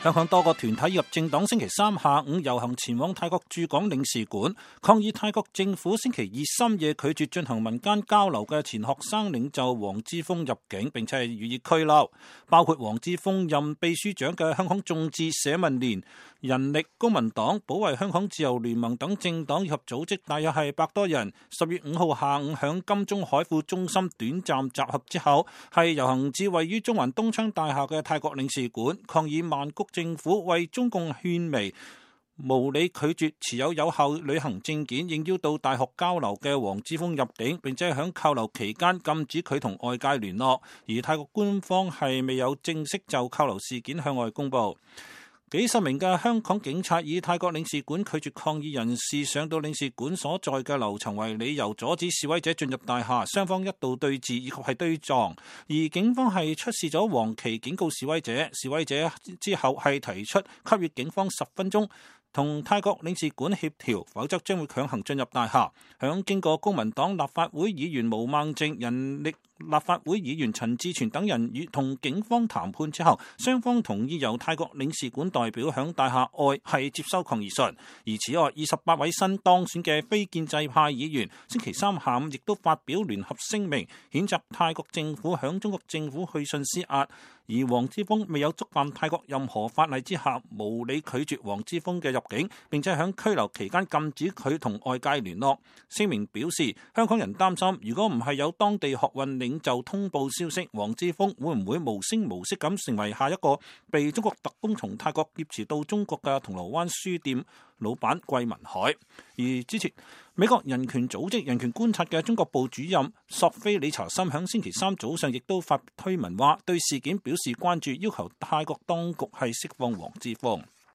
香港多個團體及政黨星期三下午遊行前往泰國駐港領事館，抗議泰國政府星期二深夜拒絕進行民間交流嘅前學生領袖黃之鋒入境，並且係予以拘留。包括黃之鋒任秘書長嘅香港眾志社民連、人力、公民黨、保衛香港自由聯盟等政黨以及組織，大約係100多人。10月5號下午響金鐘海富中心短暫集合之後，係遊行至位於中環東昌大廈嘅泰國領事館，抗議曼谷政府為中共勸媚，無理拒絕持有效旅行證件應邀到大學交流嘅黃之鋒入境，並且喺扣留期間禁止佢同外界聯絡。而泰國官方係未有正式就扣留事件向外公佈。幾十名嘅香港警察以泰國領事館拒絕抗議人士上到領事館所在嘅樓層為理由，阻止示威者進入大廈，雙方一度對峙以及係對撞。而警方係出示咗黃旗警告示威者，示威者之後係提出給予警方10分鐘同泰國領事館協調，否則將會強行進入大廈。響經過公民黨立法會議員毛孟靜、人力立法會議員陳志全等人與同警方談判之後，雙方同意由泰國領事館代表響大廈外係接收抗議信。而此外，28位新當選嘅非建制派議員星期三下午亦都發表聯合聲明，譴責泰國政府響中國政府去信施壓。而黃之鋒未有觸犯泰國任何法例之下，無理拒絕黃之鋒嘅入境，並且喺拘留期間禁止佢同外界聯絡。聲明表示，香港人擔心，如果唔係有當地學運領袖通報消息，黃之鋒會唔會無聲無息咁成為下一個被中國特工從泰國劫持到中國嘅銅鑼灣書店老闆桂民海。而之前美國人權組織人權觀察嘅中國部主任索菲理查森響星期三早上亦都發推文話，對事件表示關注，要求泰國當局係釋放黃之鋒。